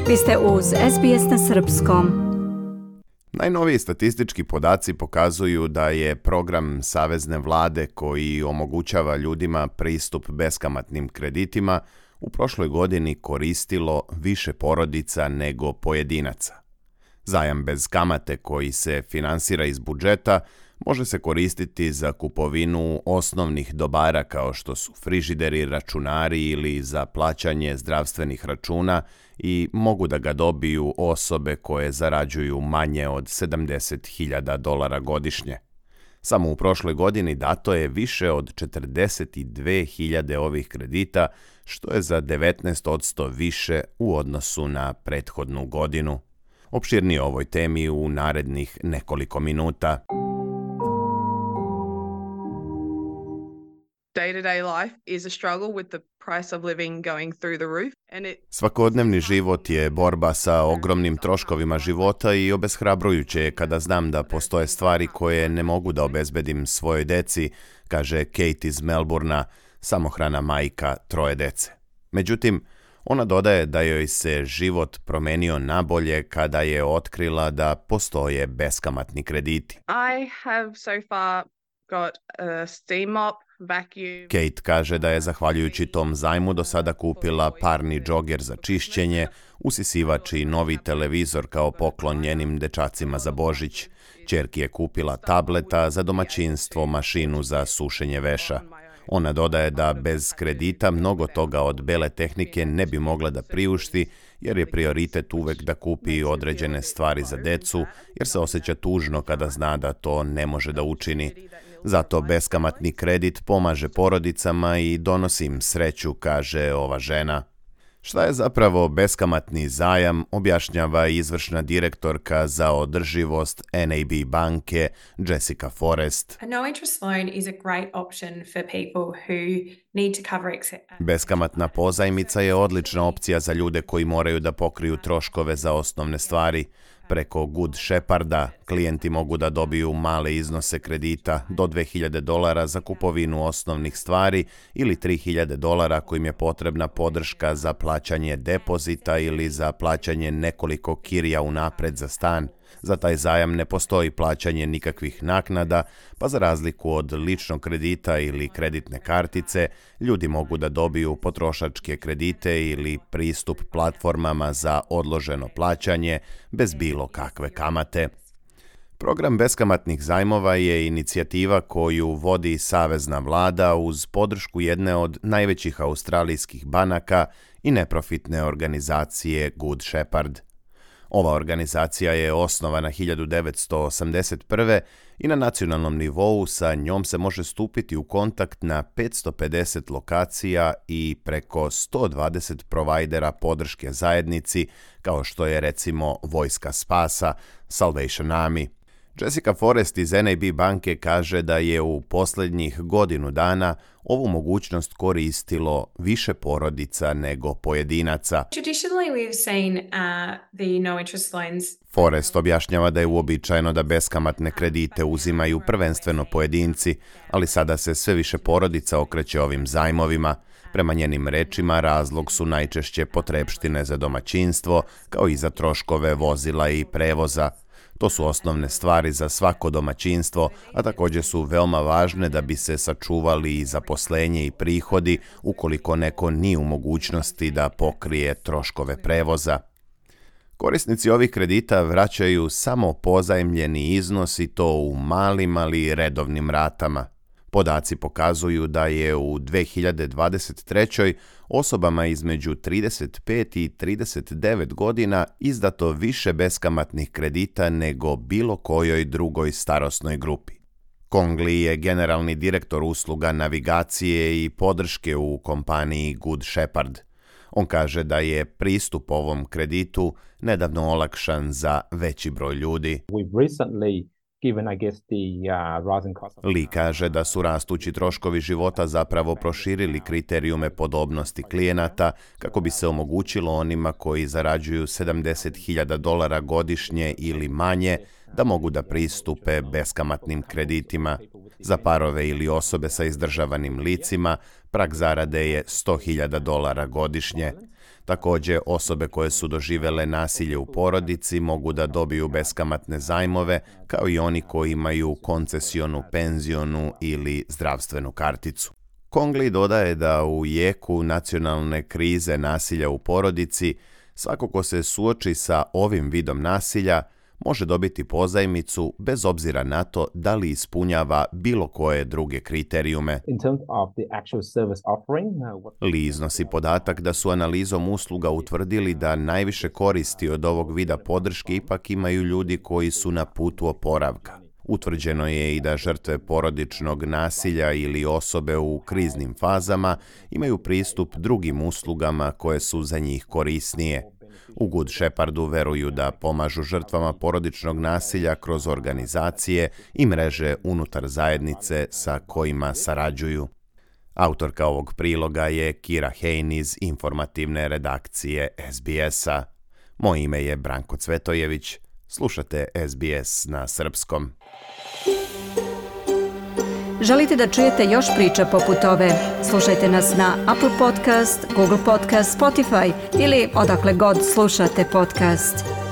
Vi ste uz SBS na srpskom. Najnoviji statistički podaci pokazuju da je program savezne vlade koji omogućava ljudima pristup beskamatnim kreditima u prošloj godini koristilo više porodica nego pojedinaca. Zajam bez kamate koji se finansira iz budžeta može se koristiti za kupovinu osnovnih dobara kao što su frižideri, računari ili za plaćanje zdravstvenih računa i mogu da ga dobiju osobe koje zarađuju manje od $70,000 godišnje. Samo u prošloj godini dato je više od 42.000 ovih kredita, što je za 19% više u odnosu na prethodnu godinu. Opširnije o ovoj temi u narednih nekoliko minuta. Day-to-day life is a struggle with the price of living going through the roof. Svakodnevni život je borba sa ogromnim troškovima života i obeshrabrujuće je kada znam da postoje stvari koje ne mogu da obezbedim svojoj deci, kaže Kate iz Melbournea, samohrana majka 3 dece. Međutim, ona dodaje da joj se život promenio nabolje kada je otkrila da postoje beskamatni krediti. I have so far got a steam mop, vacuum. Kate kaže da je zahvaljujući tom zajmu do sada kupila parni džoger za čišćenje, usisivač i novi televizor kao poklon njenim dečacima za Božić. Ćerki je kupila tableta, za domaćinstvo mašinu za sušenje veša. Ona dodaje da bez kredita mnogo toga od bele tehnike ne bi mogla da priušti, jer je prioritet uvek da kupi određene stvari za decu, jer se osjeća tužno kada zna da to ne može da učini. Zato beskamatni kredit pomaže porodicama i donosi im sreću, kaže ova žena. Šta je zapravo beskamatni zajam, objašnjava izvršna direktorka za održivost NAB banke Jessica Forrest. A no interest loan is a great option for people who need to cover Beskamatna pozajmica je odlična opcija za ljude koji moraju da pokriju troškove za osnovne stvari. Preko Good Sheparda klijenti mogu da dobiju male iznose kredita do $2,000 za kupovinu osnovnih stvari ili $3,000 kojim je potrebna podrška za plaćanje depozita ili za plaćanje nekoliko kirija unapred za stan. Za taj zajam ne postoji plaćanje nikakvih naknada, pa za razliku od ličnog kredita ili kreditne kartice, ljudi mogu da dobiju potrošačke kredite ili pristup platformama za odloženo plaćanje bez bilo kakve kamate. Program beskamatnih zajmova je inicijativa koju vodi savezna vlada uz podršku jedne od najvećih australijskih banaka i neprofitne organizacije Good Shepherd. Ova organizacija je osnovana 1981. i na nacionalnom nivou sa njom se može stupiti u kontakt na 550 lokacija i preko 120 provajdera podrške zajednici, kao što je recimo Vojska spasa, Salvation Army. Jessica Forrest iz NAB banke kaže da je u posljednjih godinu dana ovu mogućnost koristilo više porodica nego pojedinaca. Traditionally we've seen the no interest loans. Forrest objašnjava da je uobičajeno da beskamatne kredite uzimaju prvenstveno pojedinci, ali sada se sve više porodica okreće ovim zajmovima. Prema njenim rečima, razlog su najčešće potrepštine za domaćinstvo, kao i za troškove vozila i prevoza. To su osnovne stvari za svako domaćinstvo, a također su veoma važne da bi se sačuvali i zaposlenje i prihodi ukoliko neko nije u mogućnosti da pokrije troškove prevoza. Korisnici ovih kredita vraćaju samo pozajmljeni iznos i to u malim, ali redovnim ratama. Podaci pokazuju da je u 2023. osobama između 35 i 39 godina izdato više beskamatnih kredita nego bilo kojoj drugoj starosnoj grupi. Kong Lee je generalni direktor usluga navigacije i podrške u kompaniji Good Shepherd. On kaže da je pristup ovom kreditu nedavno olakšan za veći broj ljudi. Lee kaže da su rastući troškovi života zapravo proširili kriterijume podobnosti klijenata kako bi se omogućilo onima koji zarađuju $70,000 godišnje ili manje da mogu da pristupe beskamatnim kreditima. Za parove ili osobe sa izdržavanim licima prag zarade je $100,000 godišnje. Također, osobe koje su doživjele nasilje u porodici mogu da dobiju beskamatne zajmove, kao i oni koji imaju koncesionu, penzionu ili zdravstvenu karticu. Congley dodaje da u jeku nacionalne krize nasilja u porodici, svako ko se suoči sa ovim vidom nasilja može dobiti pozajmicu bez obzira na to da li ispunjava bilo koje druge kriterijume. Lee iznosi podatak da su analizom usluga utvrdili da najviše koristi od ovog vida podrške ipak imaju ljudi koji su na putu oporavka. Utvrđeno je i da žrtve porodičnog nasilja ili osobe u kriznim fazama imaju pristup drugim uslugama koje su za njih korisnije. U Good Shephardu veruju da pomažu žrtvama porodičnog nasilja kroz organizacije i mreže unutar zajednice sa kojima sarađuju. Autorka ovog priloga je Kira Hein iz informativne redakcije SBS-a. Moje ime je Branko Cvetojević. Slušate SBS na srpskom. Želite da čujete još priča poput ove? Slušajte nas na Apple Podcast, Google Podcast, Spotify ili odakle god slušate podcast.